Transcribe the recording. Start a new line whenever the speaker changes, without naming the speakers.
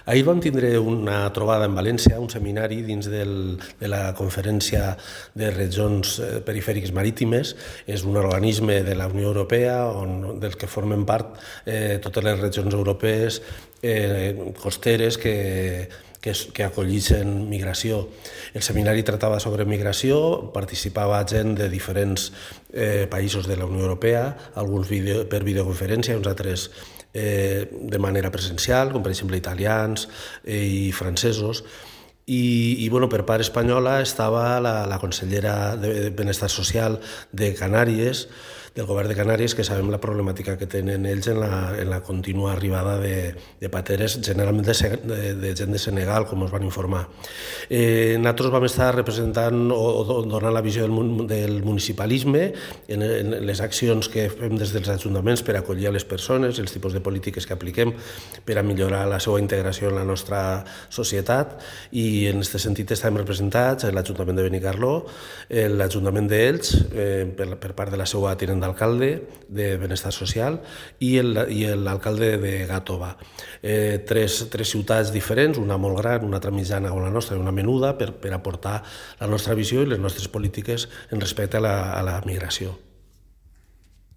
Ahir vam tindre una trobada en València, un seminari dins de la Conferència de Regions Perifèriques Marítimes. És un organisme de la Unió Europea del que formen part totes les regions europees costeres que acollixen migració. El seminari tractava sobre migració, participava gent de diferents països de la Unió Europea, alguns per videoconferència i uns altres de manera presencial, com per exemple italians i francesos. I per part espanyola estava la consellera de Benestar Social de Canàries, del govern de Canàries, que sabem la problemàtica que tenen ells en la contínua arribada de pateres, generalment de gent de Senegal, com ens van informar. Nosaltres vam estar representant o donant la visió del municipalisme en les accions que fem des dels ajuntaments per acollir a les persones, els tipus de polítiques que apliquem per a millorar la seva integració en la nostra societat, i en aquest sentit estem representats l'Ajuntament de Benicarló, l'Ajuntament d'Elx, per part de la seva tinent d'alcalde de Benestar Social, i l'alcalde de Gàtova. Tres ciutats diferents, una molt gran, una altra mitjana o la nostra i una menuda, per aportar la nostra visió i les nostres polítiques en respecte a la migració.